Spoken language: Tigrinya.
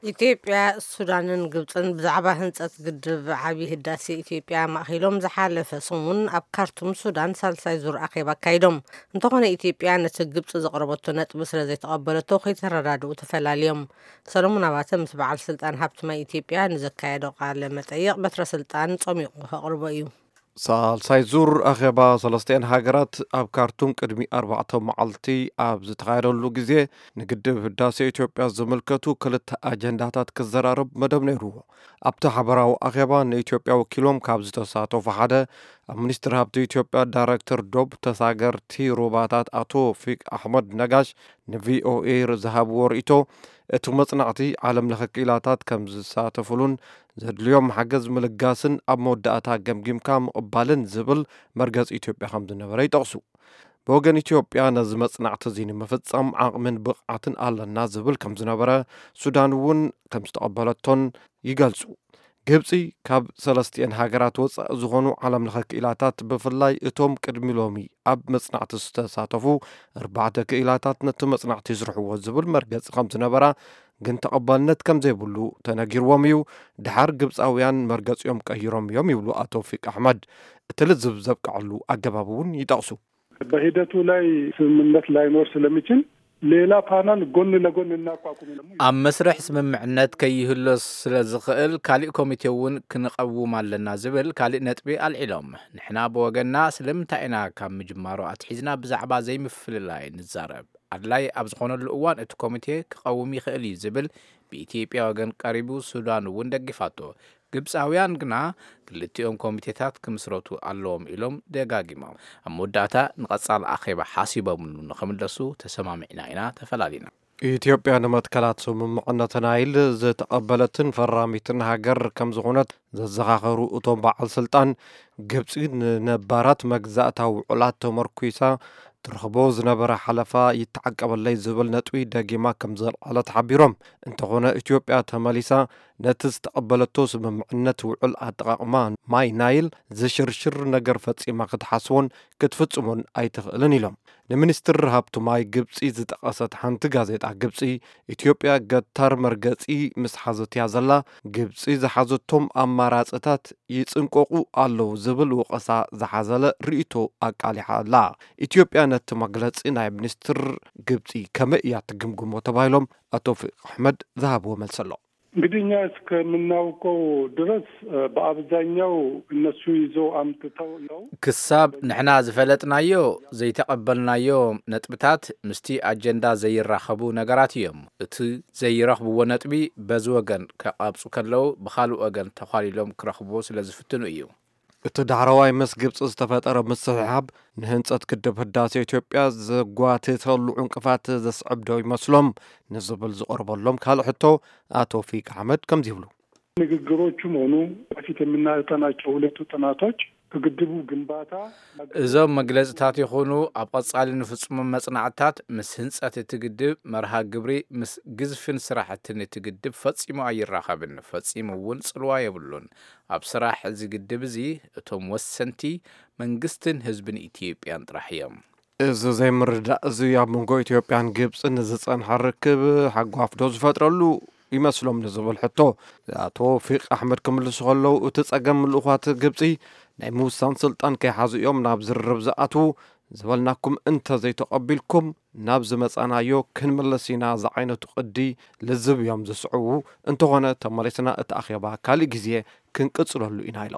ኢትዮጵያ፣ ሱዳንን ግብፅን ብዛዕባ ህንፀት ግድብ ዓብዪ ህዳሴ ኢትዮጵያ ማእኺሎም ዝሓለፈ ሰሙን ኣብ ካርቱም ሱዳን ሳልሳይ ዙር ኣኼባ ኣካይዶም። እንተኾነ ኢትዮጵያ ነቲ ግብፂ ዘቕረበቶ ነጥቢ ስለ ዘይተቐበለቶ ከይተረዳድኡ ተፈላልዮም። ሰሎሞን ኣባተ ምስ በዓል ስልጣን ሃብቲ ማይ ኢትዮጵያ ንዘካየዶ ቃለ መጠይቕ በትረ ስልጣን ጸሚቑ ከቕርቦ እዩ። ሳልሳይ ዙር ኣኼባ ሰለስቲኤን ሃገራት ኣብ ካርቱም ቅድሚ ኣርባዕተ መዓልቲ ኣብ ዝተኻየደሉ ግዜ፣ ንግድብ ህዳሴ ኢትዮጵያ ዝምልከቱ ክልተ ኣጀንዳታት ክዘራረብ መደብ ነይርዎ። ኣብቲ ሓበራዊ ኣኼባ ንኢትዮጵያ ወኪሎም ካብ ዝተሳተፉ ሓደ፣ ኣብ ሚኒስትሪ ሃብቲ ኢትዮጵያ ዳይሬክተር ዶብ ተሳገርቲ ሩባታት ኣቶ ፊቅ ኣሕመድ ነጋሽ ንቪኦኤ ዝሃብዎ ርእይቶ፣ እቲ መጽናዕቲ ዓለም ለኸ ክኢላታት ከም ዝሳተፉሉን ዘድልዮም ሓገዝ ምልጋስን ኣብ መወዳእታ ገምጊምካ ምቕባልን ዝብል መርገጽ ኢትዮጵያ ከም ዝነበረ ይጠቕሱ። ብወገን ኢትዮጵያ፣ ነዚ መጽናዕቲ እዚ ንምፍጻም ዓቕምን ብቕዓትን ኣለና ዝብል ከም ዝነበረ፣ ሱዳን እውን ከም ዝተቐበለቶን ይገልጹ። ግብጺ፣ ካብ ሰለስቲኤን ሃገራት ወጻኢ ዝኾኑ ዓለም ለኸ ክኢላታት፣ ብፍላይ እቶም ቅድሚ ሎሚ ኣብ መጽናዕቲ ዝተሳተፉ ኣርባዕተ ክኢላታት፣ ነቲ መጽናዕቲ ይስርሕዎ ዝብል መርገጺ ከም ዝነበራ፣ ግን ተቐባልነት ከም ዘይብሉ ተነጊርዎም እዩ። ድሓር ግብጻውያን መርገጺኦም ቀይሮም እዮም ይብሉ ኣቶ ፊቅ ኣሕመድ። እቲ ልዝብ ዘብቅዐሉ ኣገባብ እውን ይጠቕሱ። በሂደቱ ላይ ስምምነት ላይኖር ስለሚችል ሌላ ፓናል ጎን ለጎን እናቋቁም ነው። ኣብ መስርሕ ስምምዕነት ከይህሎ ስለ ዝኽእል፣ ካሊእ ኮሚቴ እውን ክንቐውም ኣለና ዝብል ካሊእ ነጥቢ ኣልዒሎም። ንሕና ብወገንና፣ ስለምንታይ ኢና ካብ ምጅማሩ ኣትሒዝና ብዛዕባ ዘይምፍልላይ ንዛረብ? ኣድላይ ኣብ ዝኾነሉ እዋን እቲ ኮሚቴ ክቐውም ይኽእል እዩ ዝብል ብኢትዮጵያ ወገን ቀሪቡ፣ ሱዳን እውን ደጊፋቶ። ግብጻውያን ግና ክልቲኦም ኮሚቴታት ክምስረቱ ኣለዎም ኢሎም ደጋጊሞም። ኣብ መወዳእታ፣ ንቐጻሊ ኣኼባ ሓሲቦምሉ ንኽምለሱ ተሰማሚዕና ኢና ተፈላሊና። ኢትዮጵያ ንመትከላት ስምምዕነት ናይል ዝተቐበለትን ፈራሚትን ሃገር ከም ዝኾነት ዘዘኻኸሩ እቶም በዓል ስልጣን፣ ግብጺ ንነባራት መግዛእታዊ ውዕላት ተመርኲሳ ትረኽቦ ዝነበረ ሓለፋ ይተዓቀበለይ ዝብል ነጥቢ ደጊማ ከም ዘልዓለት ሓቢሮም። እንተኾነ፣ ኢትዮጵያ ተመሊሳ ነቲ ዝተቐበለቶ ስምምዕነት ውዕል ኣጠቓቕማ ማይ ናይል ዝሽርሽር ነገር ፈጺማ ክትሓስቦን ክትፍጽሞን ኣይትኽእልን ኢሎም። ንሚኒስትር ሃብቲ ማይ ግብጺ ዝጠቐሰት ሓንቲ ጋዜጣ ግብጺ፣ ኢትዮጵያ ገታር መርገጺ ምስ ሓዘት እያ ዘላ፣ ግብጺ ዝሓዘቶም ኣማራጽታት ይጽንቀቑ ኣለዉ ዝብል ወቐሳ ዝሓዘለ ርእይቶ ኣቃሊሓ ኣላ። ኢትዮጵያ ነቲ መግለጺ ናይ ሚኒስትር ግብጺ ከመይ እያ ትግምግሞ ተባሂሎም ኣቶ ፊቅ ኣሕመድ ዝሃብዎ መልሲ ኣሎ። እንግዲህ እኛ እስከምናውቀው ድረስ፣ እ፣ በአብዛኛው እነሱ ይዘው አምጥተው ነው። ክሳብ ንሕና ዝፈለጥናዮ፣ ዘይተቐበልናዮ ነጥብታት ምስቲ ኣጀንዳ ዘይራኸቡ ነገራት እዮም። እቲ ዘይረኽብዎ ነጥቢ በዚ ወገን ከቓብጹ ከለዉ፣ ብኻልእ ወገን ተዃሊሎም ክረኽብዎ ስለ ዝፍትኑ እዩ። እቲ ዳሕረዋይ ምስ ግብጺ ዝተፈጠረ ምስሕሓብ፣ ንህንጸት ግድብ ህዳሴ ኢትዮጵያ ዘጓትተሉ ዕንቅፋት ዘስዕብ ዶ ይመስሎም ንዝብል ዝቐርበሎም ካልእ ሕቶ፣ ኣቶ ፊቅ ኣሕመድ ከምዚ ይብሉ። ንግግሮቹም ሆኑ በፊት የምናጠናቸው ሁለቱ ጥናቶች ከግድቡ ግንባታ እዞም መግለጽታት ይኹኑ ኣብ ቐጻሊ ንፍጽሞም መጽናዕትታት፣ ምስ ህንጸት እቲ ግድብ መርሃ ግብሪ፣ ምስ ግዝፍን ስራሕትን እቲ ግድብ ፈጺሙ ኣይራኸብን፣ ፈጺሙ እውን ጽልዋ የብሉን። ኣብ ስራሕ እዚ ግድብ እዚ እቶም ወሰንቲ መንግስትን ህዝብን ኢትዮጵያን ጥራሕ እዮም። እዚ ዘይምርዳእ እዚ ኣብ መንጎ ኢትዮጵያን ግብጽን ዝጸንሐ ርክብ ሓጓፍ ዶ ዝፈጥረሉ ይመስሎም ንዝብል ሕቶ፣ ኣቶ ፊቅ ኣሕመድ ክምልሱ ከለዉ፣ እቲ ጸገም ልኡኻት ግብጺ ናይ ምውሳን ስልጣን ከይሓዙ እዮም ናብ ዝርርብ ዝኣትዉ። ዝበልናኩም እንተ ዘይተቐቢልኩም፣ ናብ ዝመጻናዮ ክንምለስ ኢና ዝዓይነቱ ቅዲ ልዝብ እዮም ዝስዕቡ። እንተኾነ፣ ተመሊስና እቲ ኣኼባ ካልእ ግዜ ክንቅጽለሉ ኢና ኢሎም።